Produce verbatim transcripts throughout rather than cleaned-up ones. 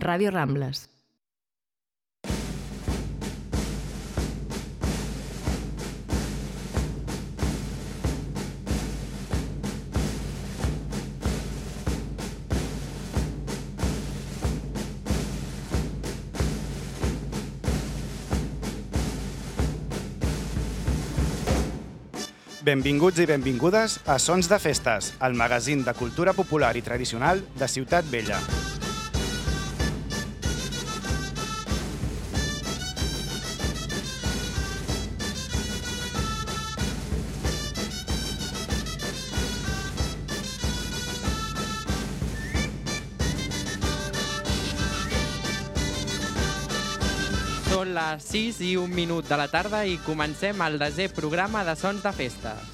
Ràdio Rambles. Benvinguts i benvingudes a Sons de Festes, el magazín de cultura popular i tradicional de Ciutat Vella. Són les sis i un minut de la tarda i comencem el desè programa de Sons de Festes.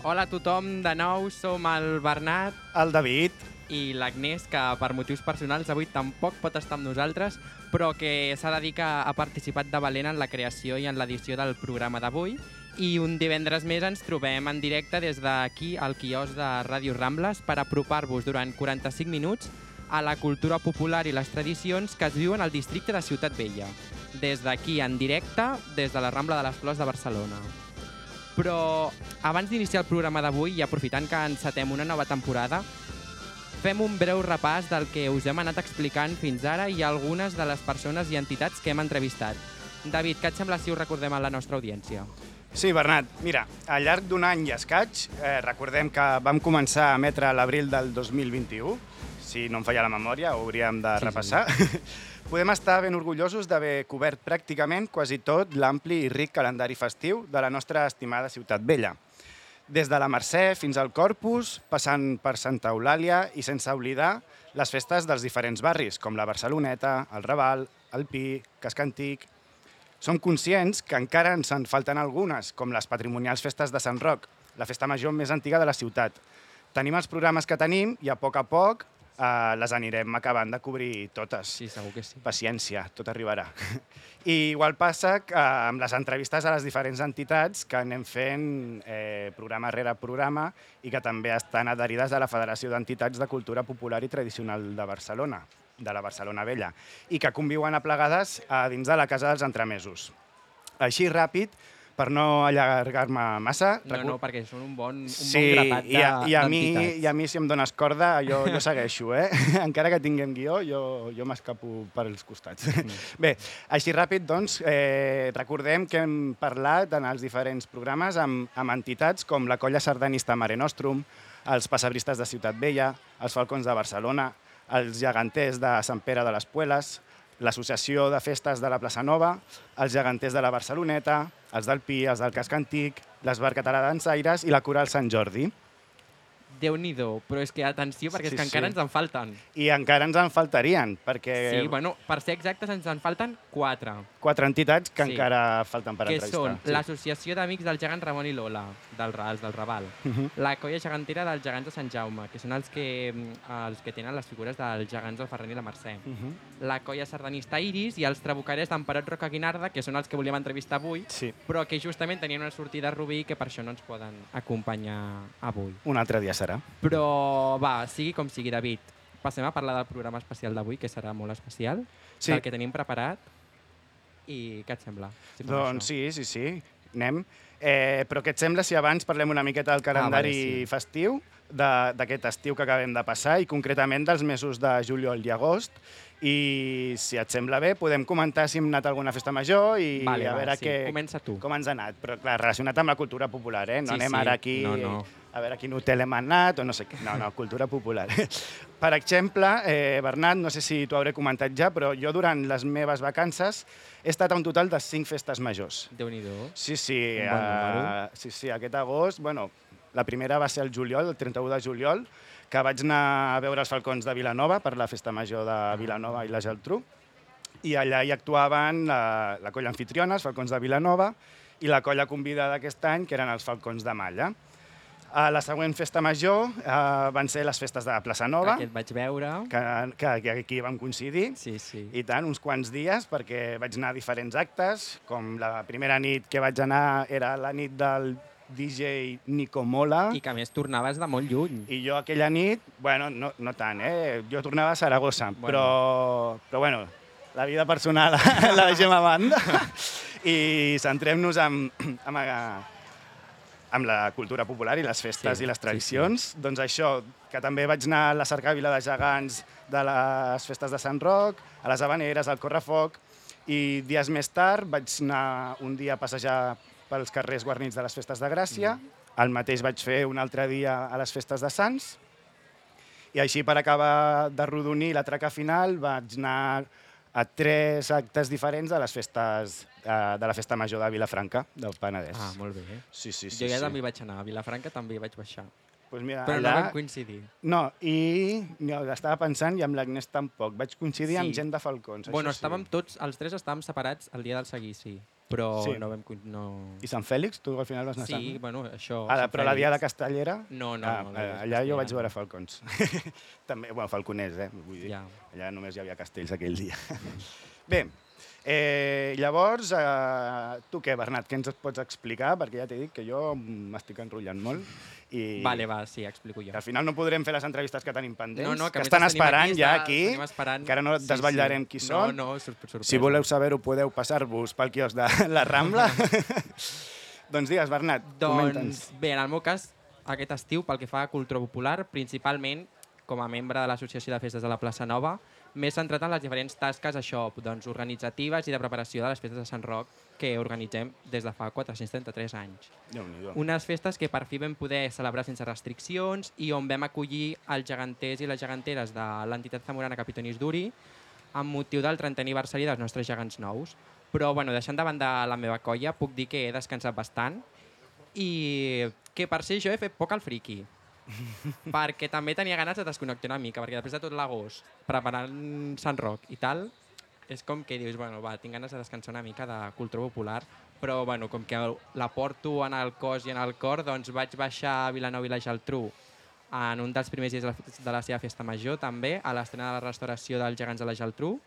Hola a tothom, de nou som el Bernat, El David i l'Agnès, que per motius personals avui tampoc pot estar amb nosaltres, però que s'ha de dir que ha participat de valent en la creació i en l'edició del programa d'avui. I un divendres més ens trobem en directe des d'aquí al quiosc de Ràdio Rambles per apropar-vos durant quaranta-cinc minuts a la cultura popular i les tradicions que es viuen al districte de Ciutat Vella. Des d'aquí en directe, des de la Rambla de les Flors de Barcelona. Però abans d'iniciar el programa d'avui i aprofitant que encetem una nova temporada, fem un breu repàs del que us hem anat explicant fins ara i algunes de les persones i entitats que hem entrevistat. David, què et sembla si ho recordem a la nostra audiència? Sí, Bernat, mira, al llarg d'un any i escaig, eh, recordem que vam començar a emetre a l'abril del dos mil vint-i-u, si no em falla la memòria, ho hauríem de Sí, repassar. Sí. Podem estar ben orgullosos d'haver cobert pràcticament quasi tot l'ampli i ric calendari festiu de la nostra estimada Ciutat Vella. Des de la Mercè fins al Corpus, passant per Santa Eulàlia i sense oblidar les festes dels diferents barris, com la Barceloneta, el Raval, el Pi, Casc Antic. Som conscients que encara ens en falten algunes, com les patrimonials festes de Sant Roc, la festa major més antiga de la ciutat. Tenim els programes que tenim i a poc a poc eh, les anirem acabant de cobrir totes. Sí, segur que sí. Paciència, tot arribarà. I igual passa que amb les entrevistes a les diferents entitats que anem fent eh, programa rere programa i que també estan adherides a la Federació d'Entitats de Cultura Popular i Tradicional de Barcelona, de la Barcelona Vella, i que conviuen aplegades a dins de la Casa dels Entremesos. Així ràpid, per no allargar-me massa... No, no, perquè són un bon, un sí, bon grapat i a, i, a mi, d'entitats. i a mi, si em dones corda, jo, jo segueixo, eh? Encara que tinguem guió, jo, jo m'escapo per els costats. Mm. Bé, així ràpid, doncs, eh, recordem que hem parlat en els diferents programes amb, amb entitats com la Colla Sardanista Mare Nostrum, els Passebristes de Ciutat Vella, els Falcons de Barcelona, els Geganters de Sant Pere de les Pueles, l'Associació de Festes de la Plaça Nova, els Geganters de la Barceloneta, els del Pi, els del Casc Antic, l'Esbar Català Dansaires i la Coral Sant Jordi. Déu-n'hi-do, però és que atenció, perquè Sí, és que encara sí. ens en falten. I encara ens en faltarien, perquè Sí, bueno, per ser exactes ens en falten quatre, quatre entitats que Sí. encara falten per que entrevistar. són l'Associació d'Amics del Gegant Ramon i Lola, del, Ra- els del Raval, Uh-huh. la Colla Gegantera dels Gegants de Sant Jaume, que són els que, els que tenen les figures dels gegants del Ferran i la Mercè, Uh-huh. la Colla Sardanista Iris i els Trabucarers d'Emperot Roca Guinarda, que són els que volíem entrevistar avui, Sí, però que justament tenien una sortida a Rubí que per això no ens poden acompanyar avui. un altre dia serà. Però va, sigui com sigui, David, passem a parlar del programa especial d'avui, que serà molt especial, Sí. del que tenim preparat. I què et sembla? Si fem Doncs això? sí, sí, sí, anem. Eh, però què et sembla si abans parlem una miqueta del calendari vale, sí. festiu, de- d'aquest estiu que acabem de passar i concretament dels mesos de juliol i agost? I si et sembla bé, podem comentar si hem anat a alguna festa major i Vale, a va, veure sí. què, Comença tu. com ens ha anat. Però clar, relacionat amb la cultura popular, eh? No Sí, anem sí. ara aquí No, no. a veure a quin hotel hem anat o no sé què. No, no, cultura popular. Per exemple, eh, Bernat, no sé si t'ho hauré comentat ja, però jo durant les meves vacances he estat a un total de cinc festes majors. Déu-n'hi-do. Sí, sí, Un bon número. uh, sí, sí, aquest agost, bueno, la primera va ser el juliol, el trenta-u de juliol, que vaig anar a veure els Falcons de Vilanova per la festa major de Vilanova i la Geltrú, i allà hi actuaven la, la colla anfitriona, els Falcons de Vilanova, i la colla convidada aquest any, que eren els Falcons de Malla. A la següent festa major uh, van ser les festes de Plaça Nova, que et vaig veure. que, que, que aquí vam coincidir. Sí, sí. I tant, uns quants dies, perquè vaig anar a diferents actes, com la primera nit que vaig anar era la nit del D J Nico Mola. I que a més tornaves de molt lluny. I jo aquella nit, bueno, no, no tant, eh? Jo tornava a Saragossa, bueno. però, però bueno, la vida personal la deixem a banda i centrem-nos en, en, amb la cultura popular i les festes sí, i les tradicions. Sí, sí. Doncs això, que també vaig anar a la cercavila de gegants de les festes de Sant Roc, a les Havaneres, al Correfoc, i dies més tard vaig anar un dia a passejar pels carrers guarnits de les festes de Gràcia, mm. el mateix vaig fer un altre dia a les festes de Sants, i així per acabar de rodonir la traca final vaig anar a tres actes diferents de les festes de la Festa Major de Vilafranca, del Penedès. Ah, molt bé. Sí, sí, sí, jo ja sí. també vaig anar. A Vilafranca també hi vaig baixar. Pues mira, però allà... no vam coincidir. No, i no, estava pensant, i amb l'Agnès tampoc. Vaig coincidir sí. amb gent de Falcons. Bueno, això estàvem sí. tots, els tres estàvem separats el dia del seguici, però sí. no vam... No... I Sant Fèlix? Tu al final vas anar a Sí, Sant... bueno, això... Ah, però la dia de Castellera? No, no. Ah, no allà jo vaig veure Falcons. també, bueno, falconers, eh? Vull dir. Ja. Allà només hi havia castells aquell dia. Bé, eh, llavors, eh, tu què, Bernat, què ens pots explicar? Perquè ja t'he dit que jo m'estic enrotllant molt. I vale, va, sí, explico jo. Que al final no podrem fer les entrevistes que tenim pendents, no, no, que, que estan esperant aquí, ja està, aquí, esperant. que ara no et sí, desvetllarem sí. qui són. No, no, sorpresa. Si voleu saber-ho, podeu passar-vos pel quiosc de la Rambla. Doncs digues, Bernat, comenta'ns. Doncs bé, en el meu cas, aquest estiu, pel que fa a cultura popular, principalment com a membre de l'Associació de Festes de la Plaça Nova, m'he centrat en les diferents tasques això, doncs, organitzatives i de preparació de les festes de Sant Roc que organitzem des de fa quatre-cents trenta-tres anys. Unes festes que per fi vam poder celebrar sense restriccions i on vam acollir els geganters i les geganteres de l'entitat zamorana Capitonis Duri amb motiu del trentè aniversari dels nostres gegants nous. Però, bueno, deixant de banda la meva colla, puc dir que he descansat bastant i que per ser jo he fet poc al friqui. perquè també tenia ganes de desconnectar una mica, perquè després de tot l'agost, preparant Sant Roc i tal, és com que dius, bueno, va, tinc ganes de descansar una mica de cultura popular, però bueno, com que la porto en el cos i en el cor, doncs vaig baixar a Vilanova i la Geltrú en un dels primers dies de la, de la seva festa major, també, a l'estrena de la restauració dels gegants de la Geltrú,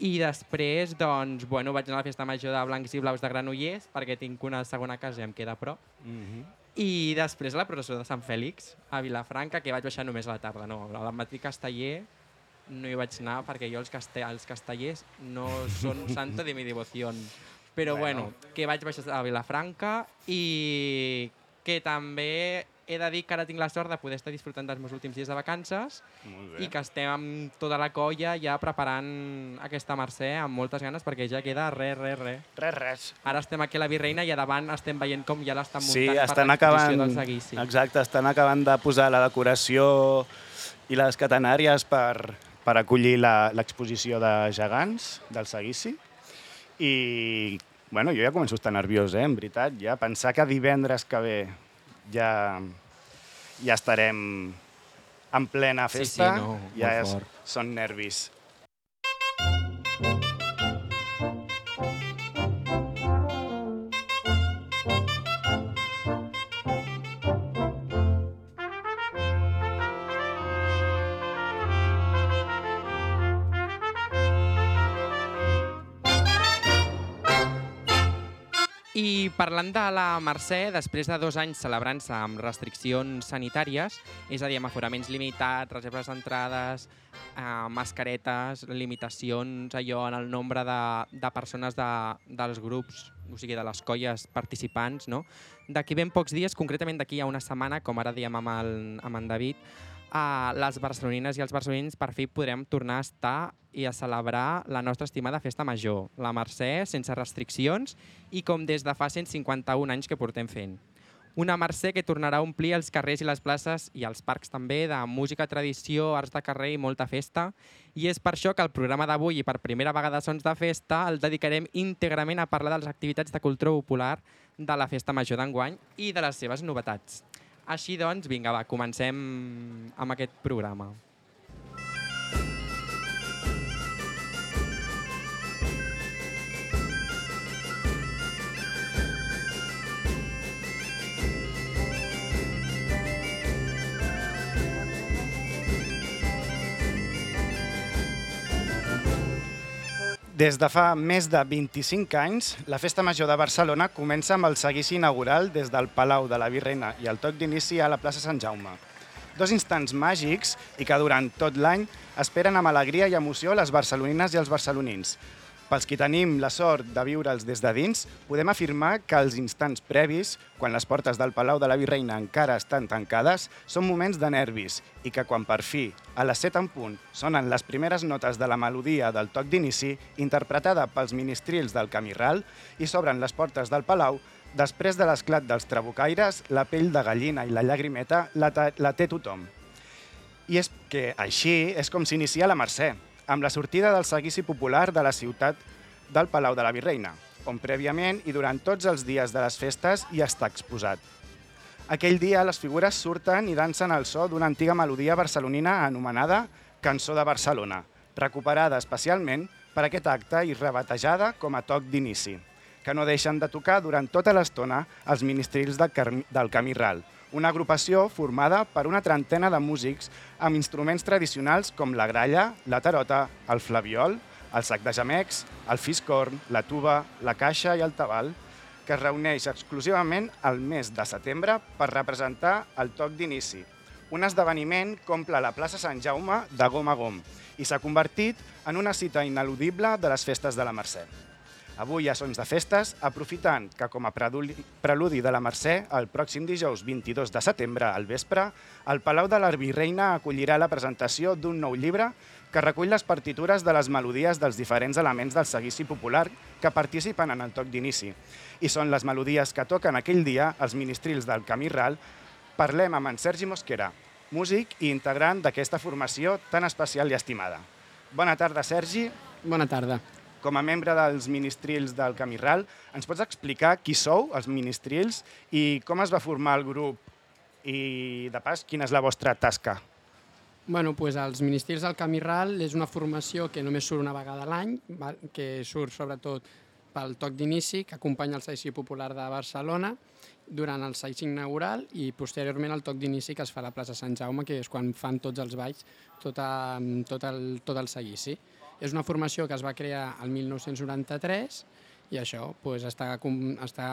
i després, doncs, bueno, vaig anar a la festa major de Blancs i Blaus de Granollers, perquè tinc una segona casa i em queda a prop, mm-hmm. I després la processó de Sant Fèlix a Vilafranca, que vaig baixar només a la tarda. No, al matí casteller no hi vaig anar perquè jo els, caste els castellers no són santo de mi devoció. Però bueno. bueno, que vaig baixar a Vilafranca i que també he de dir que ara tinc la sort de poder estar disfrutant dels meus últims dies de vacances i que estem amb tota la colla ja preparant aquesta Mercè amb moltes ganes perquè ja queda res, res, res. Res, res. Ara estem aquí a la Virreina i a davant estem veient com ja l'estan muntant sí, per l'exposició acabant, del seguici. Exacte, estan acabant de posar la decoració i les catenàries per, per acollir l'exposició de gegants del seguici. I bueno, jo ja començo a estar nerviós, eh, en veritat. Ja pensar que divendres que ve ja, ja estarem en plena festa, sí, sí, no, ja és, són nervis. I parlant de la Mercè, després de dos anys celebrant-se amb restriccions sanitàries, és a dir, amb aforaments limitats, reserves d'entrades, eh, mascaretes, limitacions allò en el nombre de, de persones de, dels grups, o sigui, de les colles participants, no? D'aquí ben pocs dies, concretament d'aquí a una setmana, com ara diem amb, el, amb en David, Uh, les barcelonines i els barcelonins per fi podrem tornar a estar i a celebrar la nostra estimada festa major, la Mercè, sense restriccions i com des de fa cent cinquanta-un anys que portem fent. Una Mercè que tornarà a omplir els carrers i les places i els parcs també de música, tradició, arts de carrer i molta festa. I és per això que el programa d'avui i per primera vegada Sons de Festa el dedicarem íntegrament a parlar de les activitats de cultura popular de la festa major d'enguany i de les seves novetats. Així doncs, vinga, va, comencem amb aquest programa. Des de fa més de vint-i-cinc anys, la Festa Major de Barcelona comença amb el seguici inaugural des del Palau de la Virreina i el toc d'inici a la plaça Sant Jaume. Dos instants màgics i que durant tot l'any esperen amb alegria i emoció les barcelonines i els barcelonins. Pels qui tenim la sort de viure'ls des de dins, podem afirmar que els instants previs, quan les portes del Palau de la Virreina encara estan tancades, són moments de nervis i que quan per fi, a les set en punt, sonen les primeres notes de la melodia del toc d'inici, interpretada pels ministrils del Camí Ral, i s'obren les portes del Palau, després de l'esclat dels trabucaires, la pell de gallina i la llagrimeta la, la té tothom. I és que així és com s'inicia la Mercè, amb la sortida del seguici popular de la ciutat del Palau de la Virreina, on prèviament i durant tots els dies de les festes hi està exposat. Aquell dia les figures surten i dansen al so d'una antiga melodia barcelonina anomenada Cançó de Barcelona, recuperada especialment per aquest acte i rebatejada com a toc d'inici, que no deixen de tocar durant tota l'estona els ministrils del Camí Ral, una agrupació formada per una trentena de músics amb instruments tradicionals com la gralla, la tarota, el flabiol, el sac de gemecs, el fiscorn, la tuba, la caixa i el tabal, que es reuneix exclusivament al mes de setembre per representar el toc d'inici. Un esdeveniment que omple la plaça Sant Jaume de gom a gom i s'ha convertit en una cita ineludible de les festes de la Mercè. Avui a Sons de Festes, aprofitant que com a preludi de la Mercè, el pròxim dijous vint-i-dos de setembre al vespre, el Palau de la Virreina acollirà la presentació d'un nou llibre que recull les partitures de les melodies dels diferents elements del seguici popular que participen en el toc d'inici. I són les melodies que toquen aquell dia els ministrils del Camí Ral. Parlem amb en Sergi Mosquera, músic i integrant d'aquesta formació tan especial i estimada. Bona tarda, Sergi. Bona tarda. Com a membre dels ministrils del Camí Ral, ens pots explicar qui sou, els ministrils, i com es va formar el grup i, de pas, quina és la vostra tasca? Bueno, doncs els ministrils del Camí Ral és una formació que només surt una vegada a l'any, que surt sobretot pel toc d'inici, que acompanya el seguici popular de Barcelona durant el seguici inaugural i posteriorment el toc d'inici que es fa a la plaça Sant Jaume, que és quan fan tots els balls, tot, a, tot, el, tot el seguici. És una formació que es va crear el mil nou-cents noranta-tres i això doncs, està, està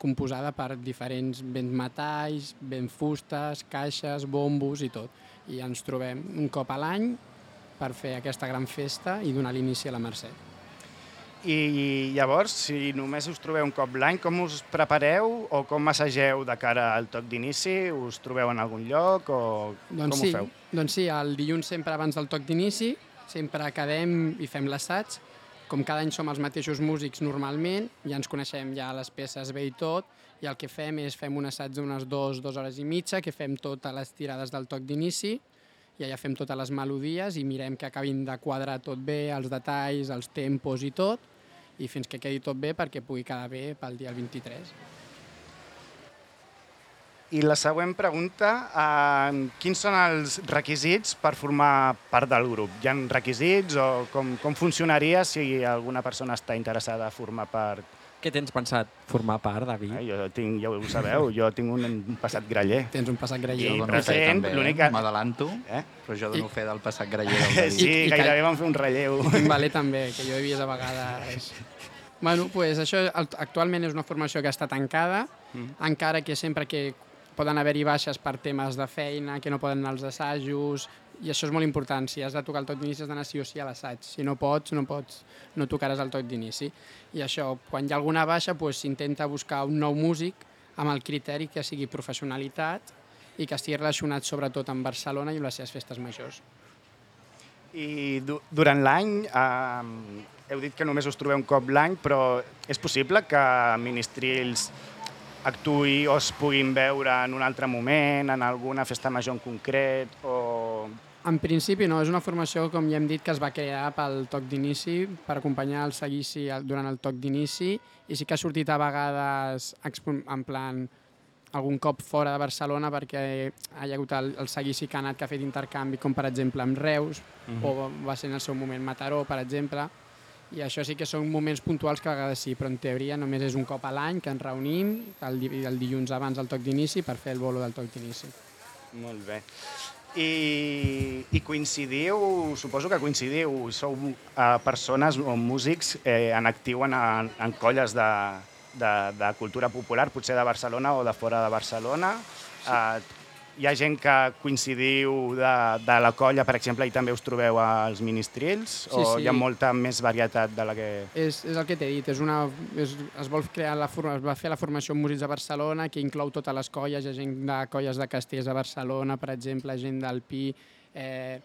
composada per diferents béns metalls, béns fustes, caixes, bombos i tot. I ens trobem un cop a l'any per fer aquesta gran festa i donar l'inici a la Mercè. I llavors, si només us trobeu un cop l'any, com us prepareu o com assageu de cara al toc d'inici? Us trobeu en algun lloc o doncs com sí, ho feu? Doncs sí, el dilluns sempre abans del toc d'inici sempre quedem i fem l'assaig. Com cada any som els mateixos músics normalment, ja ens coneixem ja les peces bé i tot, i el que fem és fem un assaig d'unes dues, dues hores i mitja, que fem totes les tirades del toc d'inici, i allà fem totes les melodies i mirem que acabin de quadrar tot bé, els detalls, els tempos i tot, i fins que quedi tot bé perquè pugui quedar bé pel dia vint-i-tres. I la següent pregunta, eh, quins són els requisits per formar part del grup? Hi ha requisits o com, com funcionaria si alguna persona està interessada a formar part? Què tens pensat formar part, David? Eh, jo tinc, ja ho sabeu, jo tinc un passat graller. Tens un passat graller. I Jo dono fe present, també, l'únic eh? que- M'adelanto, Eh? però jo dono I- fe del passat graller del David. Sí, I- i gairebé que- vam fer un relleu. Tinc valer també, que jo he vist a vegades. Bueno, pues això actualment és una formació que està tancada, mm. encara que sempre que poden haver-hi baixes per temes de feina, que no poden anar als assajos, i això és molt important. Si has de tocar el toc d'inici has d'anar sí o sí a l'assaig. Si no pots, no pots, no tocaràs el toc d'inici. I això, quan hi ha alguna baixa, s'intenta buscar un nou músic amb el criteri que sigui professionalitat i que estigui relacionat sobretot amb Barcelona i amb les seves festes majors. I du durant l'any, eh, heu dit que només us trobeu un cop l'any, però és possible que ministrils actuï o es puguin veure en un altre moment, en alguna festa major en concret? O... En principi no, és una formació, com ja hem dit, que es va crear pel toc d'inici, per acompanyar el seguici durant el toc d'inici, i sí que ha sortit a vegades en plan algun cop fora de Barcelona perquè hi ha hagut el, el seguici que ha anat que ha fet intercanvi, com per exemple amb Reus, uh-huh. o va ser en el seu moment Mataró, per exemple, i això sí que són moments puntuals que a vegades sí, però en teoria només és un cop a l'any que ens reunim el, el dilluns abans del toc d'inici per fer el bolo del toc d'inici. Molt bé. I, i coincidiu, suposo que coincidiu, sou uh, persones o músics eh, en actiu en, en colles de, de, de cultura popular, potser de Barcelona o de fora de Barcelona. Sí. Uh, hi ha gent que coincidiu de, de la colla, per exemple, i també us trobeu als ministrils? Sí, o sí. Hi ha molta més varietat de la que... És, és el que t'he dit, és una, és, es, vol crear la, es va fer la formació en músics de Barcelona, que inclou totes les colles, hi ha gent de colles de castells de Barcelona, per exemple, gent del Pi, eh,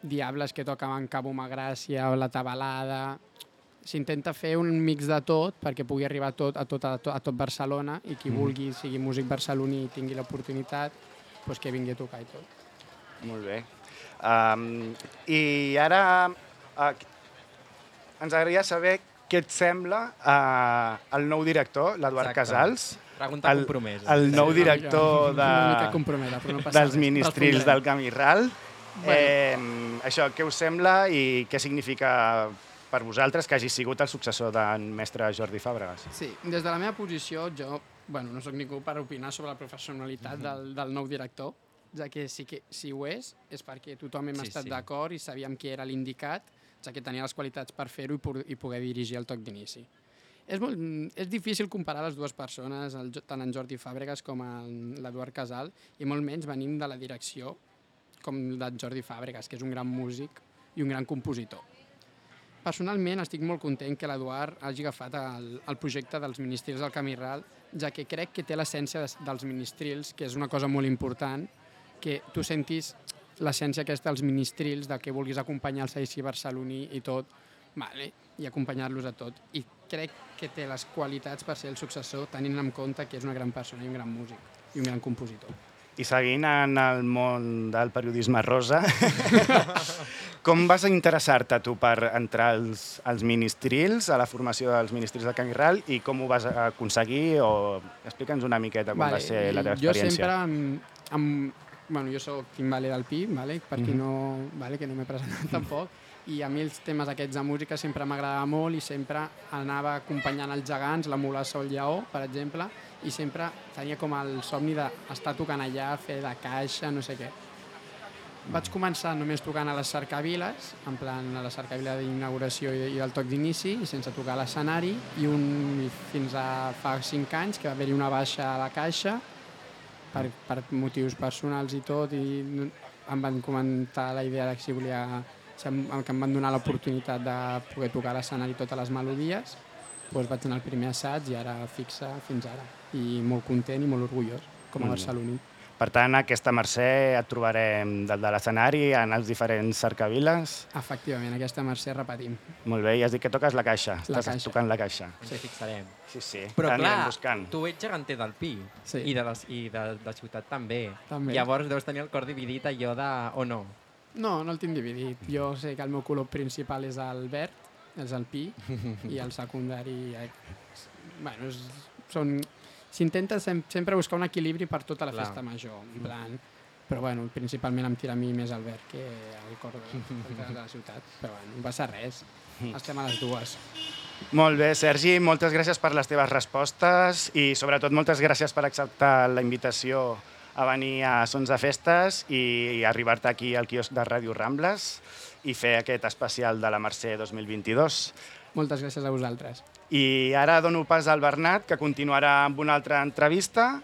diables que toquen en Cabo Magràcia o la Tabalada. S'intenta fer un mix de tot perquè pugui arribar a tot, a tot, a tot, a tot Barcelona i qui mm. vulgui, sigui músic barceloní i tingui l'oportunitat, pues que vingui a tocar i tot. Molt bé. Um, I ara uh, ens agradaria saber què et sembla uh, el nou director, l'Eduard Casals. Pregunta el, compromesa. El nou director de, no dels ministrils del Camp i Ral. Bueno. Eh, això, què us sembla i què significa per vosaltres que hagi sigut el successor d'en mestre Jordi Fàbregas? Sí, des de la meva posició, jo bueno, no soc ningú per opinar sobre la professionalitat mm-hmm. del, del nou director, ja que sí que si ho és, és perquè tothom hem sí, estat sí. d'acord i sabíem qui era l'indicat, ja que tenia les qualitats per fer-ho i, i poder dirigir el toc d'inici. És, molt, és difícil comparar les dues persones, el, tant en Jordi Fàbregas com en l'Eduard Casal, i molt menys venim de la direcció com d'en Jordi Fàbregas, que és un gran músic i un gran compositor. Personalment estic molt content que l'Eduard hagi agafat el, el projecte dels ministrils del Camp i Ral, ja que crec que té l'essència dels ministrils, que és una cosa molt important, que tu sentis l'essència aquesta dels ministrils, de que vulguis acompanyar el seguici barceloní i tot, vale, i acompanyar-los a tot. I crec que té les qualitats per ser el successor, tenint en compte que és una gran persona i un gran músic i un gran compositor. I seguint en el món del periodisme rosa, com vas interessar-te tu per entrar als, als ministrils, a la formació dels ministrils del Camp i Ral, i com ho vas aconseguir? O explica'ns una miqueta com vale, va ser la teva experiència. Jo sempre, amb, amb, bueno, jo soc timbaler del Pi, vale, per qui no, vale, que no m'he presentat tampoc, i a mi els temes aquests de música sempre m'agradava molt i sempre anava acompanyant els gegants, la mulassa o el lleó, per exemple, i sempre tenia com el somni d'estar tocant allà, fer de caixa, no sé què. Vaig començar només tocant a les cercaviles, en plan a la cercavila d'inauguració i del toc d'inici, i sense tocar a l'escenari, i un, fins a fa cinc anys que va haver-hi una baixa a la caixa, per, per motius personals i tot, i em van comentar la idea de si volia, que em van donar l'oportunitat de poder tocar a l'escenari totes les melodies, doncs vaig anar al primer assaig i ara fixa fins ara. I molt content i molt orgullós, com a barceloní. Per tant, aquesta Mercè et trobarem dalt de l'escenari en els diferents cercaviles? Efectivament, aquesta Mercè repetim. Molt bé, i has dit que toques la caixa. La Estàs caixa. tocant la caixa. Sí, fixarem. Sí, sí. Però clar, buscant. tu ets geganter del Pi sí. i, de les, i de, de ciutat també. també. Llavors deus tenir el cor dividit allò de... o no? No, no el tinc dividit. Jo sé que el meu color principal és el verd, és el Pi, i el secundari... Bueno, és, són... S'intenta sempre buscar un equilibri per tota la Clar. Festa major, en plan... Però bueno, principalment em tira a mi més el verd que el cor de, de la ciutat. Però bueno, no passa res, estem a les dues. Molt bé, Sergi, moltes gràcies per les teves respostes i sobretot moltes gràcies per acceptar la invitació a venir a Sons de Festes i arribar-te aquí al quiosc de Ràdio Rambles i fer aquest especial de la Mercè dos mil vint-i-dos. Moltes gràcies a vosaltres. I ara dono pas al Bernat, que continuarà amb una altra entrevista.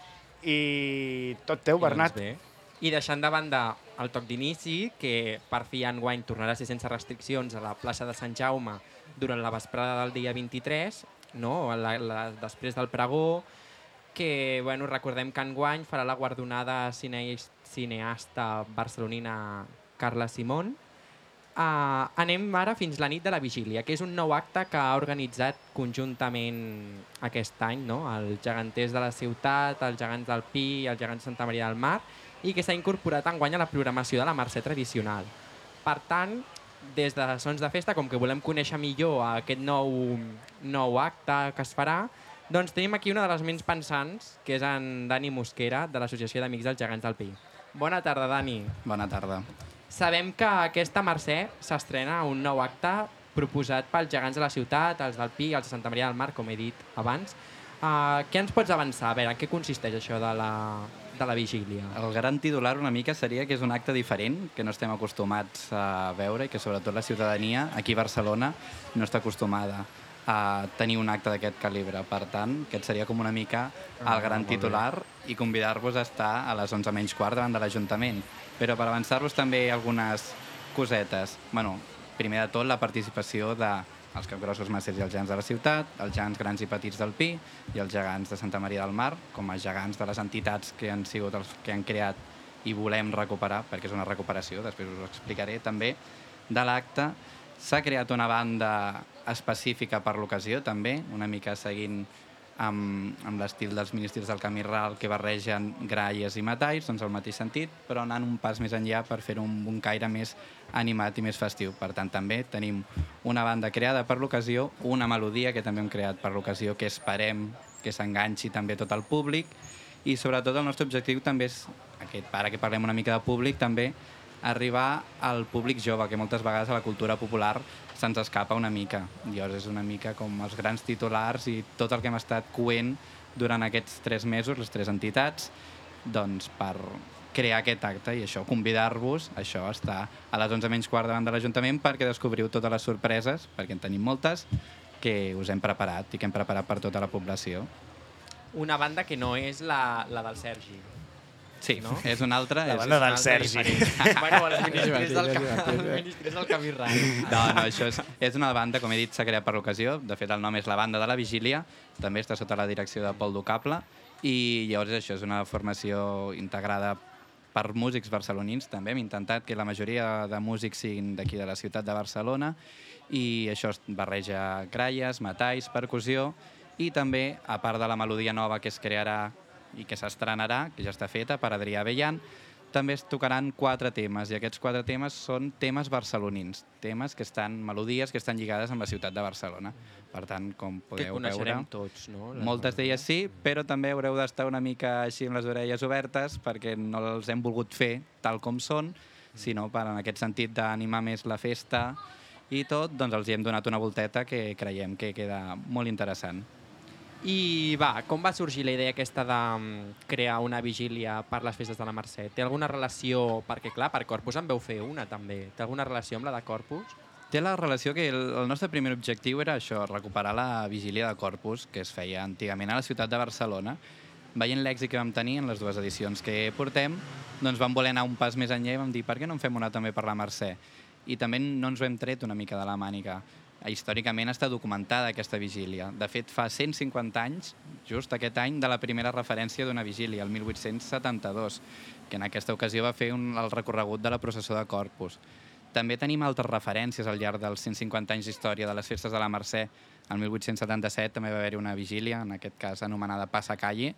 I tot teu, Bernat. I, doncs I deixant de banda el toc d'inici, que per fi enguany tornarà a ser sense restriccions a la plaça de Sant Jaume durant la vesprada del dia vint-i-tres, no? la, la, després del pregó, que bueno, recordem que enguany farà la guardonada cine, cineasta barcelonina Carla Simón. Uh, anem ara fins la nit de la vigília, que és un nou acte que ha organitzat conjuntament aquest any, no? Els geganters de la ciutat, els gegants del Pi, els gegants de Santa Maria del Mar, i que s'ha incorporat enguany a la programació de la Mercè tradicional. Per tant, des de Sons de Festa, com que volem conèixer millor aquest nou, nou acte que es farà, doncs tenim aquí una de les ments pensants, que és en Dani Mosquera, de l'Associació d'Amics dels Gegants del Pi. Bona tarda, Dani. Bona tarda. Sabem que aquesta Mercè s'estrena un nou acte proposat pels gegants de la ciutat, els del Pi i els de Santa Maria del Mar, com he dit abans. Uh, què ens pots avançar? A veure, en què consisteix això de la, de la vigília? El gran titular una mica seria que és un acte diferent, que no estem acostumats a veure i que sobretot la ciutadania aquí a Barcelona no està acostumada a tenir un acte d'aquest calibre. Per tant, aquest seria com una mica el gran titular i convidar-vos a estar a les onze menys quart davant de l'Ajuntament. Però per avançar-vos també algunes cosetes. Bueno, primer de tot, la participació dels capgrossos massers i els gegants de la ciutat, els gegants grans i petits del Pi i els gegants de Santa Maria del Mar, com a gegants de les entitats que han sigut els que han creat i volem recuperar, perquè és una recuperació, després us ho explicaré també, de l'acte. S'ha creat una banda específica per l'ocasió, també, una mica seguint amb, amb l'estil dels ministres del Camí Ral que barregen gralles i metalls, doncs el mateix sentit, però anant un pas més enllà per fer un, un caire més animat i més festiu. Per tant, també tenim una banda creada per l'ocasió, una melodia que també hem creat per l'ocasió, que esperem que s'enganxi també tot el públic, i sobretot el nostre objectiu també és, aquest, ara que parlem una mica de públic, també arribar al públic jove, que moltes vegades a la cultura popular se'ns escapa una mica. Llavors és una mica com els grans titulars i tot el que hem estat coent durant aquests tres mesos, les tres entitats, doncs per crear aquest acte i això, convidar-vos, això, a estar a les onze menys quart davant de l'Ajuntament perquè descobriu totes les sorpreses, perquè en tenim moltes, que us hem preparat i que hem preparat per tota la població. Una banda que no és la, la del Sergi. Sí, no? És una altra. La és, banda és del Sergi. Bueno, els ministres del, els ministres del Camí Ral. No, no, això és, és una banda, com he dit, s'ha creat per l'ocasió. De fet, el nom és la Banda de la Vigília. També està sota la direcció de Pol Ducable. I llavors això és una formació integrada per músics barcelonins. També hem intentat que la majoria de músics siguin d'aquí de la ciutat de Barcelona. I això es barreja gralles, metalls, percussió. I també, a part de la melodia nova que es crearà i que s'estrenarà, que ja està feta per Adrià Bellan, també es tocaran quatre temes, i aquests quatre temes són temes barcelonins, temes que estan, melodies que estan lligades amb la ciutat de Barcelona. Per tant, com podeu veure, que coneixerem tots, no? Moltes d'elles sí, però també haureu d'estar una mica així amb les orelles obertes perquè no els hem volgut fer tal com són, sinó per en aquest sentit d'animar més la festa i tot, doncs els hi hem donat una volteta que creiem que queda molt interessant. I va, com va sorgir la idea aquesta de crear una vigília per les festes de la Mercè? Té alguna relació, perquè clar, per Corpus en veu fer una també, té alguna relació amb la de Corpus? Té la relació que el, el nostre primer objectiu era això, recuperar la vigília de Corpus, que es feia antigament a la ciutat de Barcelona. Veient l'èxit que vam tenir en les dues edicions que portem, doncs vam voler anar un pas més enllà i vam dir, per què no en fem una també per la Mercè? I també no ens ho hem tret una mica de la mànica. Històricament està documentada aquesta vigília. De fet, fa cent cinquanta anys, just aquest any, de la primera referència d'una vigília, el mil vuit-cents setanta-dos, que en aquesta ocasió va fer un, el recorregut de la processó de Corpus. També tenim altres referències al llarg dels cent cinquanta anys d'història de les festes de la Mercè. El mil vuit-cents setanta-set també va haver-hi una vigília, en aquest cas anomenada Passacalle,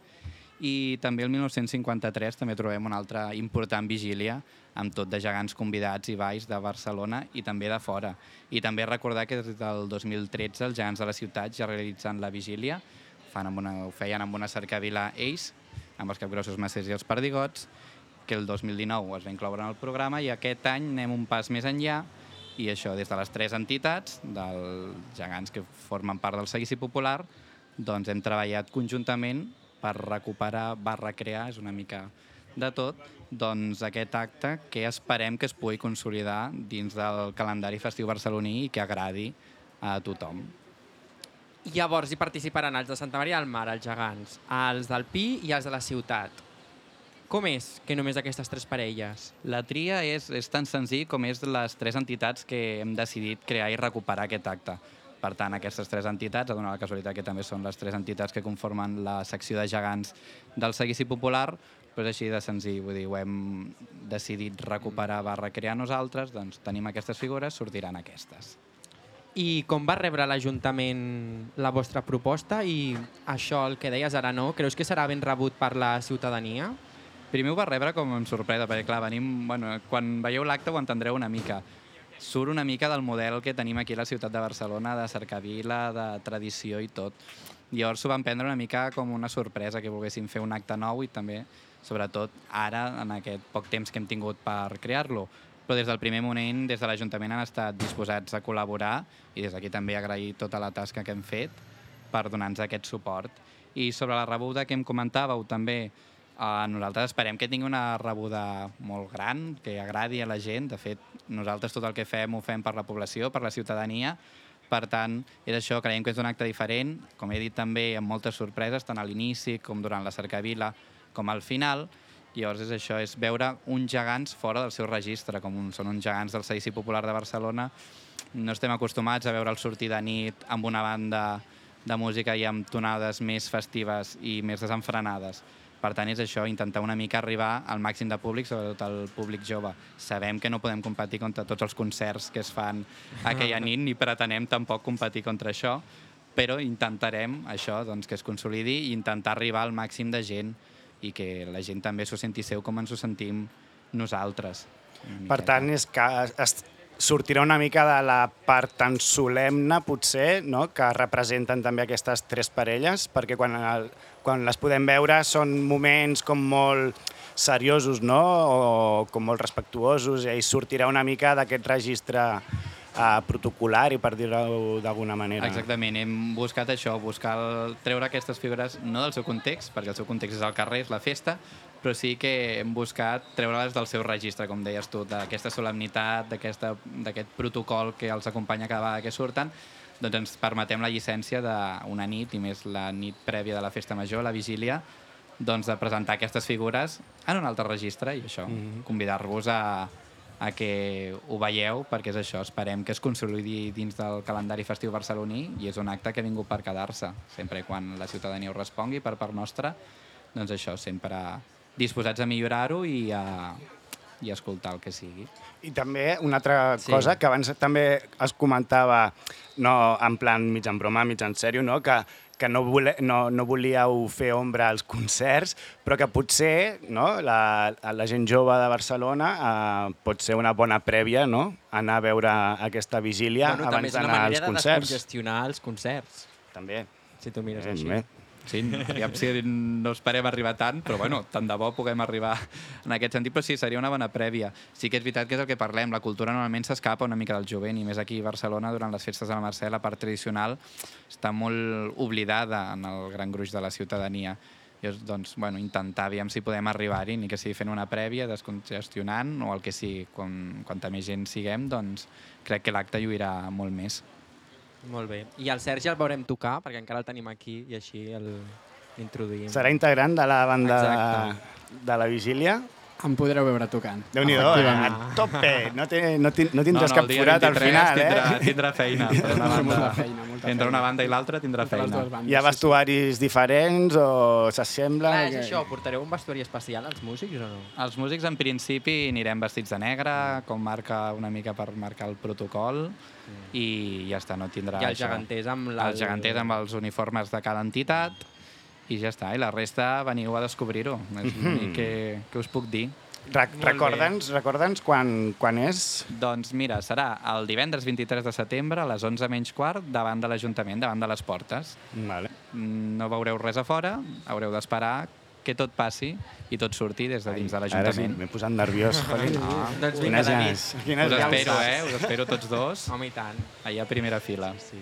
i també el mil nou-cents cinquanta-tres també trobem una altra important vigília amb tot de gegants convidats i balls de Barcelona i també de fora. I també recordar que des del dos mil tretze els gegants de la ciutat ja realitzen la vigília, fan amb una, ho feien amb una cercavila ells, amb els capgrossos massers i els perdigots, que el dos mil dinou es va incloure en el programa i aquest any anem un pas més enllà i això des de les tres entitats, dels gegants que formen part del Seguici Popular, doncs hem treballat conjuntament per recuperar, barra crear, és una mica de tot, doncs aquest acte que esperem que es pugui consolidar dins del calendari festiu barceloní i que agradi a tothom. Llavors hi participaran els de Santa Maria del Mar, els gegants, els del Pi i els de la ciutat. Com és que només aquestes tres parelles? La tria és, és tan senzill com és les tres entitats que hem decidit crear i recuperar aquest acte. Per tant, aquestes tres entitats, ha donat la casualitat que també són les tres entitats que conformen la secció de gegants del Seguici Popular, però és així de senzill, vull dir, ho hem decidit recuperar, va recrear nosaltres, doncs tenim aquestes figures, sortiran aquestes. I com va rebre l'Ajuntament la vostra proposta i això, el que deies ara, no? Creus que serà ben rebut per la ciutadania? Primer ho va rebre com amb sorpresa, perquè clar, venim, bueno, quan veieu l'acte ho entendreu una mica. Surt una mica del model que tenim aquí a la ciutat de Barcelona, de cercavila, de tradició i tot. Llavors s'ho van prendre una mica com una sorpresa, que volguessin fer un acte nou i també, sobretot ara, en aquest poc temps que hem tingut per crear-lo. Però des del primer moment, des de l'Ajuntament han estat disposats a col·laborar i des d'aquí també agrair tota la tasca que hem fet per donar-nos aquest suport. I sobre la rebuda que em comentàveu també, Uh, nosaltres esperem que tingui una rebuda molt gran, que agradi a la gent. De fet, nosaltres tot el que fem ho fem per la població, per la ciutadania. Per tant, és això, creiem que és un acte diferent, com he dit també, amb moltes sorpreses, tant a l'inici com durant la cercavila, com al final. Llavors és això, és veure uns gegants fora del seu registre, com són uns gegants del Seguici Popular de Barcelona. No estem acostumats a veure'ls sortir de nit amb una banda de música i amb tonades més festives i més desenfrenades. Per tant, és això, intentar una mica arribar al màxim de públic, sobretot al públic jove. Sabem que no podem competir contra tots els concerts que es fan aquella nit, ni pretenem tampoc competir contra això, però intentarem això, doncs, que es consolidi i intentar arribar al màxim de gent i que la gent també s'ho senti seu com ens ho sentim nosaltres. Per tant, és que es sortirà una mica de la part tan solemne, potser, no? Que representen també aquestes tres parelles, perquè quan, el, quan les podem veure són moments com molt seriosos, no? O com molt respectuosos, i sortirà una mica d'aquest registre uh, protocolari, per dir-ho d'alguna manera. Exactament, hem buscat això, buscar el, treure aquestes figures no del seu context, perquè el seu context és el carrer, és la festa, però sí que hem buscat treure-les del seu registre, com deies tu, d'aquesta solemnitat, d'aquest protocol que els acompanya cada vegada que surten, doncs ens permetem la llicència d'una nit, i més la nit prèvia de la festa major, la vigília, doncs de presentar aquestes figures en un altre registre i això, mm-hmm. convidar-vos a, a que ho veieu, perquè és això, esperem que es consolidi dins del calendari festiu barceloní i és un acte que ha vingut per quedar-se, sempre quan la ciutadania ho respongui per part nostra, doncs això, sempre disposats a millorar-ho i a, i a escoltar el que sigui. I també una altra sí. cosa que abans també es comentava, no en plan mig en broma, mig en sèrio, no? que, que no, vole, no, no volíeu fer ombra als concerts, però que potser no? la, la gent jove de Barcelona eh, pot ser una bona prèvia, no? Anar a veure aquesta vigília bueno, abans d'anar als concerts. També és una manera de descongestionar els concerts. També. Si tu mires ben, així. Bé. Sí, aviam si no esperem arribar tant, però bueno, tant de bo puguem arribar en aquest sentit, però sí, seria una bona prèvia. Sí que és veritat que és el que parlem, la cultura normalment s'escapa una mica del jovent, i més aquí a Barcelona, durant les festes de la Mercè, la part tradicional està molt oblidada en el gran gruix de la ciutadania. I doncs, bueno, intentar, aviam si podem arribar-hi, ni que sigui fent una prèvia, descongestionant, o el que sigui, quan, quanta més gent siguem, doncs crec que l'acte lluirà molt més. Molt bé. I el Sergi el veurem tocar, perquè encara el tenim aquí i així l'introduïm. Serà integrant de la banda de, de la vigília? Em podreu veure tocant. Déu-n'hi-do, eh? A tope! No, te, no, ti, no tindràs no, no, cap forat al final, tindrà, eh? Tindrà feina. Per una banda, molta feina, molta entre una banda i l'altra tindrà feina. Hi ha vestuaris diferents o s'assembla? Clar, és això, portareu un vestuari especial als músics o no? Els músics, en principi, anirem vestits de negre, com marca una mica per marcar el protocol, mm. i ja està, no tindrà I els això. geganters amb la... Els geganters amb els uniformes de cada entitat, i ja està. I la resta veniu a descobrir-ho. És l'únic que, que us puc dir. Recorda'ns recorda'ns quan, quan és? Doncs mira, serà el divendres vint-i-tres de setembre a les onze menys quart davant de l'Ajuntament, davant de les portes. Vale. No veureu res a fora, haureu d'esperar que tot passi i tot surti des de dins de l'Ajuntament. Ara sí, m'he posat nerviós. No. Doncs vinga, David. Us espero, eh? Us espero tots dos. Home, i tant. Allà a primera fila. Sí.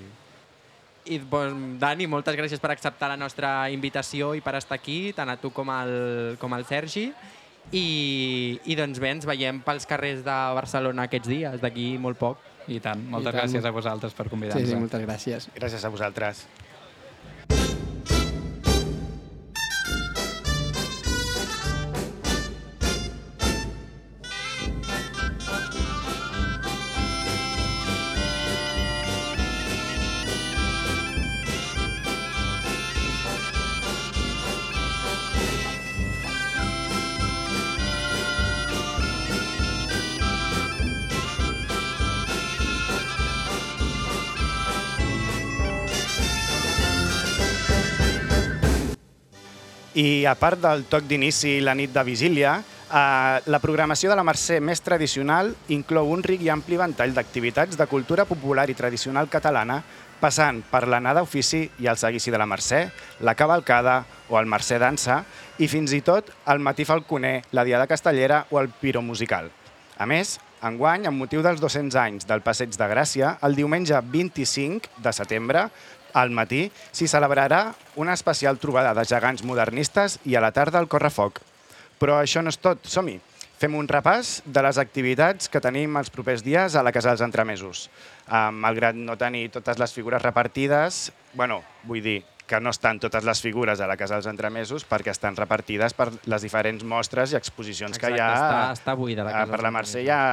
I, bon, Dani, moltes gràcies per acceptar la nostra invitació i per estar aquí, tant a tu com al, com al Sergi. I, i doncs bé, ens veiem pels carrers de Barcelona aquests dies, d'aquí molt poc. I tant. Moltes I tant. gràcies a vosaltres per convidar-nos. Sí, sí, moltes gràcies. Gràcies a vosaltres. I a part del toc d'inici i la nit de vigília, eh, la programació de la Mercè més tradicional inclou un ric i ampli ventall d'activitats de cultura popular i tradicional catalana, passant per l'anada d'ofici i el seguici de la Mercè, la cavalcada o el Mercè dansa, i fins i tot el matí falconer, la diada castellera o el piro musical. A més, enguany, amb motiu dels dos-cents anys del Passeig de Gràcia, el diumenge vint-i-cinc de setembre, Al matí s'hi celebrarà una especial trobada de gegants modernistes i a la tarda el correfoc. Però això no és tot, som-hi. Fem un repàs de les activitats que tenim els propers dies a la Casa dels Entremesos. Malgrat no tenir totes les figures repartides, bueno, vull dir que no estan totes les figures a la Casa dels Entremesos perquè estan repartides per les diferents mostres i exposicions que hi ha. Exacte, està, està buida la Casa Per dels la Mercè hi ha...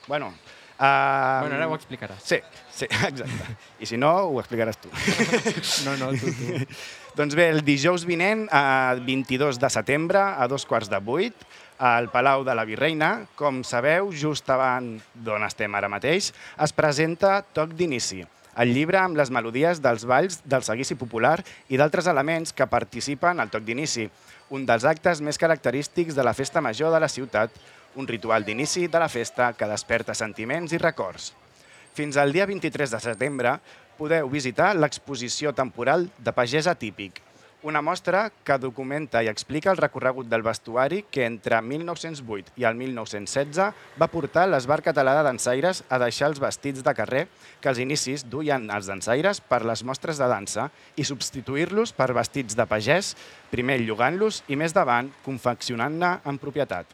Bueno, Uh, bueno, ara ho explicaràs. Sí, sí, exacte. I si no, ho explicaràs tu. No, no, tu, tu. Doncs bé, el dijous vinent, a vint-i-dos de setembre, a dos quarts de vuit, al Palau de la Virreina, com sabeu, just davant d'on estem ara mateix, es presenta Toc d'Inici, el llibre amb les melodies dels balls del seguici popular i d'altres elements que participen al Toc d'Inici, un dels actes més característics de la festa major de la ciutat, un ritual d'inici de la festa que desperta sentiments i records. Fins al dia vint-i-tres de setembre podeu visitar l'exposició temporal de Pagès Atípic, una mostra que documenta i explica el recorregut del vestuari que entre mil nou-cents vuit i el mil nou-cents setze va portar l'Esbar Català de Dansaires a deixar els vestits de carrer que als inicis duien els dansaires per les mostres de dansa i substituir-los per vestits de pagès, primer llogant-los i més davant confeccionant-ne en propietat.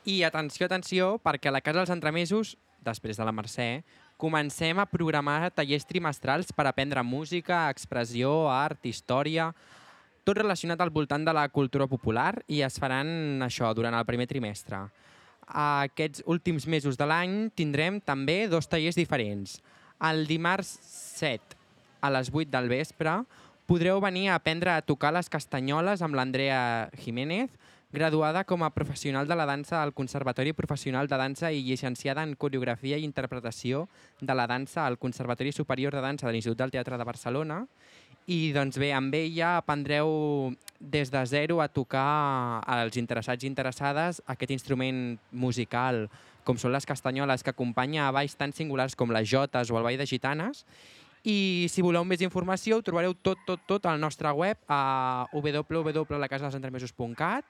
I atenció, atenció, perquè a la Casa dels Entremesos, després de la Mercè, comencem a programar tallers trimestrals per aprendre música, expressió, art, història, tot relacionat al voltant de la cultura popular i es faran això durant el primer trimestre. Aquests últims mesos de l'any tindrem també dos tallers diferents. El dimarts set a les vuit del vespre podreu venir a aprendre a tocar les castanyoles amb l'Andrea Jiménez, graduada com a professional de la dansa al Conservatori Professional de Dansa i llicenciada en Coreografia i Interpretació de la Dansa al Conservatori Superior de Dansa de l'Institut del Teatre de Barcelona. I doncs bé, amb ella aprendreu des de zero a tocar als interessats i interessades aquest instrument musical, com són les castanyoles, que acompanya a balls tan singulars com les jotes o el ball de gitanes. I si voleu més informació, ho trobareu tot, tot, tot al nostre web a w w w punt la casa dels entremesos punt cat.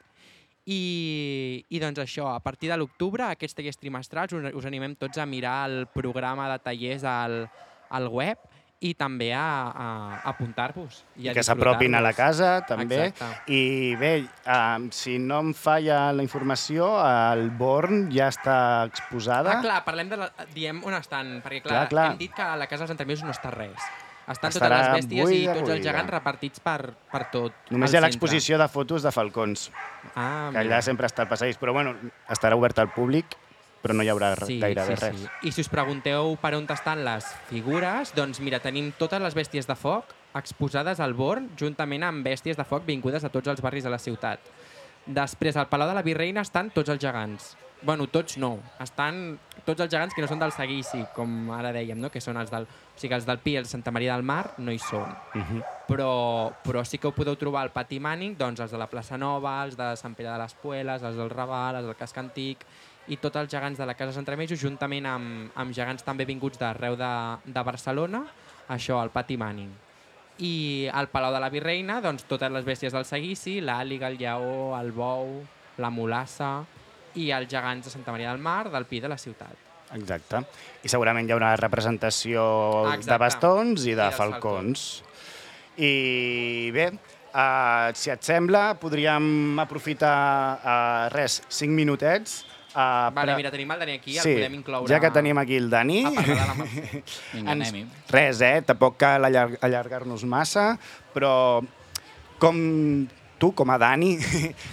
I, i doncs això, a partir de l'octubre, aquests tallers trimestrals, us, us animem tots a mirar el programa de tallers al, al web i també a, a, a apuntar-vos. I, I que s'apropin a la casa, també. Exacte. I bé, um, si no em falla la informació, el Born ja està exposada. Ah, clar, parlem de la, diem on estan, perquè clar, Clar, clar. hem dit que a la Casa dels Entremesos no està res. Estan Estarà totes les bèsties i buida, tots els buida. gegants repartits per, per tot. Només el hi ha centre. l'exposició de fotos de falcons, Ah, que allà sempre està al passadís, però bueno, estarà obert al públic, però no hi haurà sí, gairebé sí, res. sí. I si us pregunteu per on estan les figures, doncs mira, tenim totes les bèsties de foc exposades al Born, juntament amb bèsties de foc vingudes a tots els barris de la ciutat. Després, al Palau de la Virreina estan tots els gegants. Bueno, tots no. Estan tots els gegants que no són del seguici, com ara dèiem, no? Que són els del... O sigui, els del Pi i els de Santa Maria del Mar no hi són. Uh -huh. Però, però sí que ho podeu trobar al Pati Mànic, doncs els de la plaça Nova, els de Sant Pere de les Pueles, els del Raval, els del Casc Antic i tots els gegants de la Casa dels Entremesos, juntament amb, amb gegants també vinguts d'arreu de, de Barcelona, això, al Pati Mànic. I al Palau de la Virreina, doncs totes les bèsties del seguici, l'àliga, el lleó, el bou, la mulassa i els gegants de Santa Maria del Mar, del Pi de la ciutat. Exacte. I segurament hi haurà representació Exacte. de bastons i de I dels falcons. I bé, uh, si et sembla, podríem aprofitar uh, res, cinc minutets. Uh, Vale, mira, tenim el Dani aquí, el sí, podem incloure... ja que tenim aquí el Dani, a parlar de la Mercè. Vinga, ens... anem-hi. res, eh? Tampoc cal allar allargar-nos massa, però com tu, com a Dani,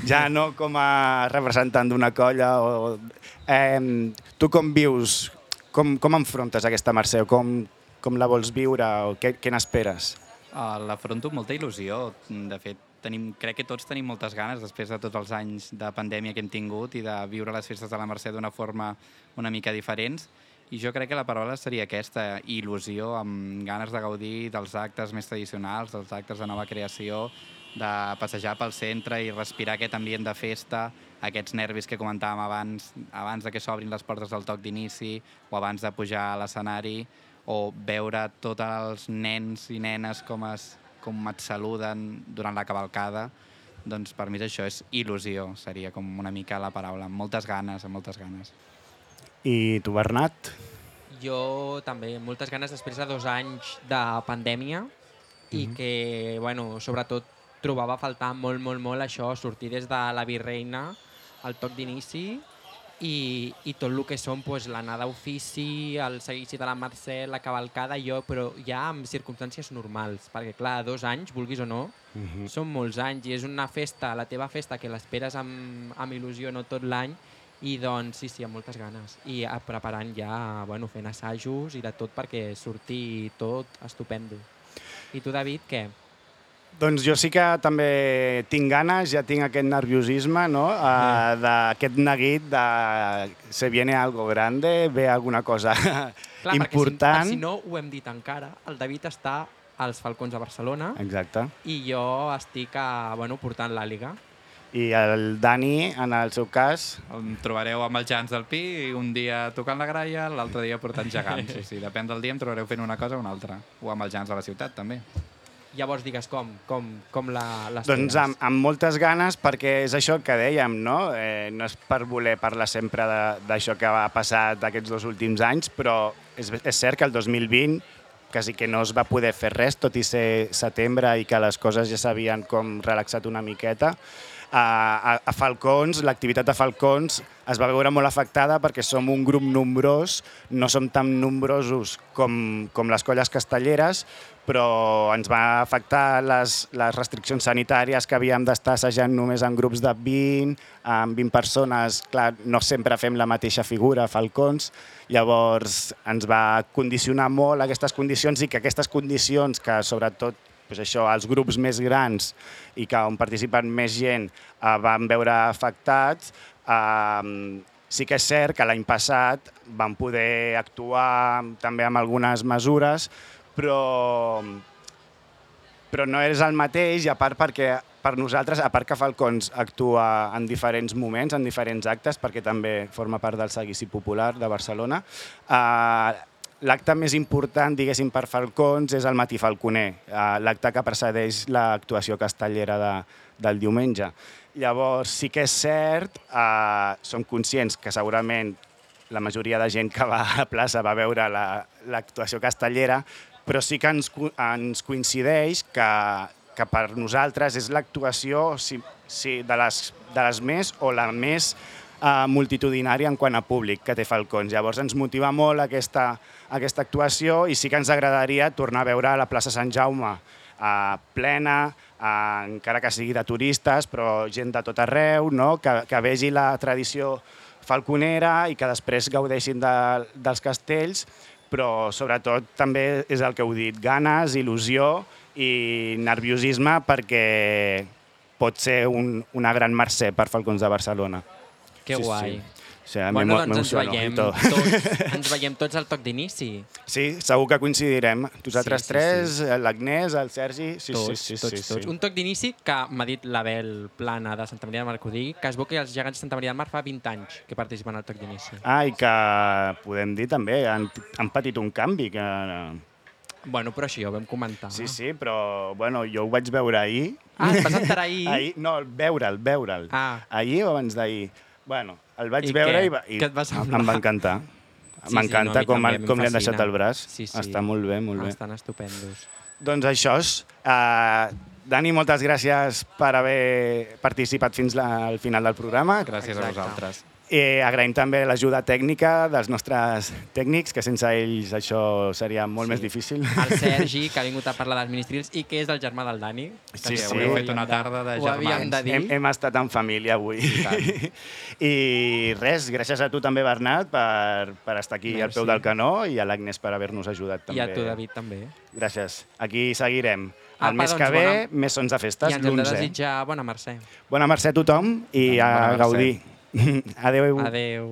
ja no com a representant d'una colla, o, eh, tu com vius, com, com enfrontes aquesta Mercè, o com, com la vols viure, o què, què n'esperes? Uh, L'afronto amb molta il·lusió. De fet, tenim, crec que tots tenim moltes ganes, després de tots els anys de pandèmia que hem tingut i de viure les festes de la Mercè d'una forma una mica diferents. I jo crec que la paraula seria aquesta, il·lusió, amb ganes de gaudir dels actes més tradicionals, dels actes de nova creació, de passejar pel centre i respirar aquest ambient de festa, aquests nervis que comentàvem abans, abans de que s'obrin les portes del toc d'inici o abans de pujar a l'escenari, o veure tots els nens i nenes com, es, com et saluden durant la cavalcada. Doncs per mi això és il·lusió, seria com una mica la paraula, amb moltes ganes, amb moltes ganes. I tu, Bernat? Jo també, moltes ganes després de dos anys de pandèmia, i que, bueno, sobretot trobava a faltar molt, molt, molt això, sortir des de la Virreina, el toc d'inici, i, i tot el que són pues, l'anada d'ofici, el seguici de la Mercè, la cavalcada, jo, però ja en circumstàncies normals, perquè clar, dos anys, vulguis o no, uh -huh. són molts anys, i és una festa, la teva festa, que l'esperes amb, amb il·lusió no tot l'any, i doncs sí, sí, amb moltes ganes. I eh, preparant ja, bueno, fent assajos i de tot perquè surti tot estupendo. I tu, David, què? Doncs jo sí que també tinc ganes, ja tinc aquest nerviosisme, no? Uh, d'aquest neguit de se viene algo grande, ve alguna cosa Clar, important. Si, si no ho hem dit encara, el David està als Falcons de Barcelona. Exacte. I jo estic a, bueno, portant l'Àliga. I el Dani, en el seu cas... Em trobareu amb els gegants del Pi, un dia tocant la graia, l'altre dia portant gegants. O sigui, depèn del dia em trobareu fent una cosa o una altra. O amb els gegants de la ciutat, també. Llavors digues com, com, com l'esperes? Doncs amb, amb moltes ganes, perquè és això que dèiem, no? Eh, no és per voler parlar sempre d'això que ha passat aquests dos últims anys, però és, és cert que el dos mil vint quasi que no es va poder fer res, tot i ser setembre i que les coses ja s'havien com relaxat una miqueta. A, a Falcons, l'activitat de Falcons es va veure molt afectada perquè som un grup nombrós, no som tan nombrosos com, com les colles castelleres, però ens va afectar les, les restriccions sanitàries que havíem d'estar assajant només en grups de vint, amb vint persones. Clar, no sempre fem la mateixa figura, Falcons, llavors ens va condicionar molt aquestes condicions i que aquestes condicions que sobretot pues això, els grups més grans i que on participen més gent eh, van veure afectats. Eh, sí que és cert que l'any passat vam poder actuar també amb algunes mesures, però, però no és el mateix, i a part perquè per nosaltres, a part que Falcons actua en diferents moments, en diferents actes, perquè també forma part del Seguici Popular de Barcelona, eh, l'acte més important, diguéssim, per Falcons és el Matí Falconer, l'acte que precedeix l'actuació castellera de, del diumenge. Llavors, sí que és cert, eh, som conscients que segurament la majoria de gent que va a la plaça va veure l'actuació la, castellera, però sí que ens, ens coincideix que, que per nosaltres és l'actuació sí, sí, de, les, de les més o la més Uh, multitudinària en quant a públic que té Falcons. Llavors ens motiva molt aquesta, aquesta actuació i sí que ens agradaria tornar a veure la plaça Sant Jaume uh, plena, uh, encara que sigui de turistes, però gent de tot arreu, no? que, que vegi la tradició falconera i que després gaudeixin de, dels castells, però sobretot també és el que heu dit, ganes, il·lusió i nerviosisme perquè pot ser un, una gran mercè per Falcons de Barcelona. Que sí, guai. Sí. O sigui, bueno, doncs ens veiem, tots, ens veiem tots al toc d'inici. Sí, segur que coincidirem. Nosaltres sí, sí, tres, sí. l'Agnès, el Sergi... Sí, tots, sí, sí, tots, sí, tots. Sí. Un toc d'inici que m'ha dit l'Abel Plana de Santa Maria del Mar, que ho digui, que es veu que els gegants de Santa Maria del Mar fa vint anys que participen al toc d'inici. Ah, i que podem dir també, han, han patit un canvi. Que... Bueno, però això ja ho vam comentar. Sí, sí, però bueno, jo ho vaig veure ahir. Ah, et vas enterar ahir? ahir no, veure'l, veure'l. Ah. Ahir o abans d'ahir. Bueno, el vaig I veure què? i, va, i què et va semblar? em va encantar. Sí, M'encanta sí, no, com, també, com li han deixat fascina. el braç. Sí, sí. Està molt bé, molt bé. Estan estupendos. Doncs això és. Uh, Dani, moltes gràcies per haver participat fins la, al final del programa. Gràcies Exacte. a vosaltres. I agraïm també l'ajuda tècnica dels nostres tècnics, que sense ells això seria molt Sí. més difícil. El Sergi, que ha vingut a parlar dels ministrils i que és el germà del Dani. Que Sí, que sí. ho Heu havíem fet una tarda de ho havíem germans. de dir. Hem, hem estat en família avui. I I res, gràcies a tu també, Bernat, per, per estar aquí Merci. al peu del canó, i a l'Agnès per haver-nos ajudat també. I a tu, David, també. Gràcies. Aquí seguirem. Apa, El mes doncs, que ve, bona- més sons de festes, I ens hem de l'onze. desitjar bona mercè. Bona mercè a tothom i a Bona mercè. gaudir. Adéu. Adeu.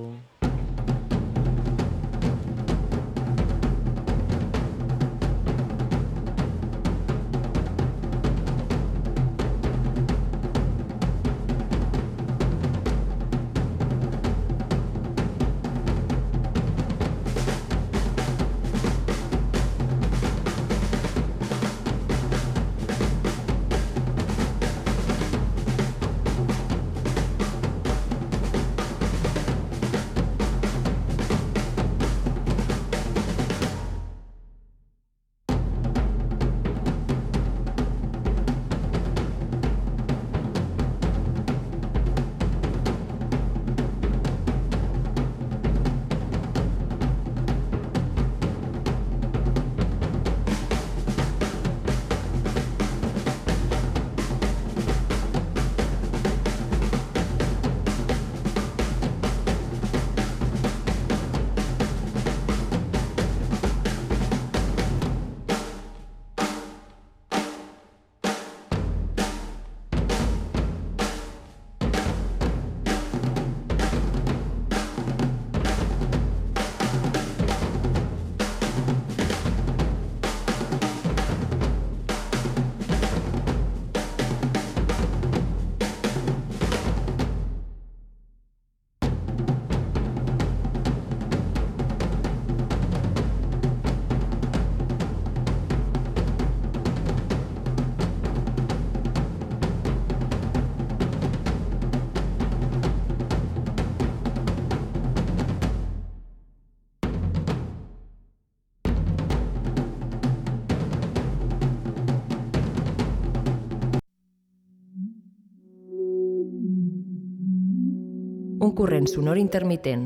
Un corrent sonor intermitent.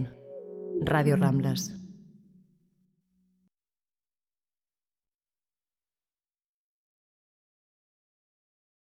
Ràdio Rambles.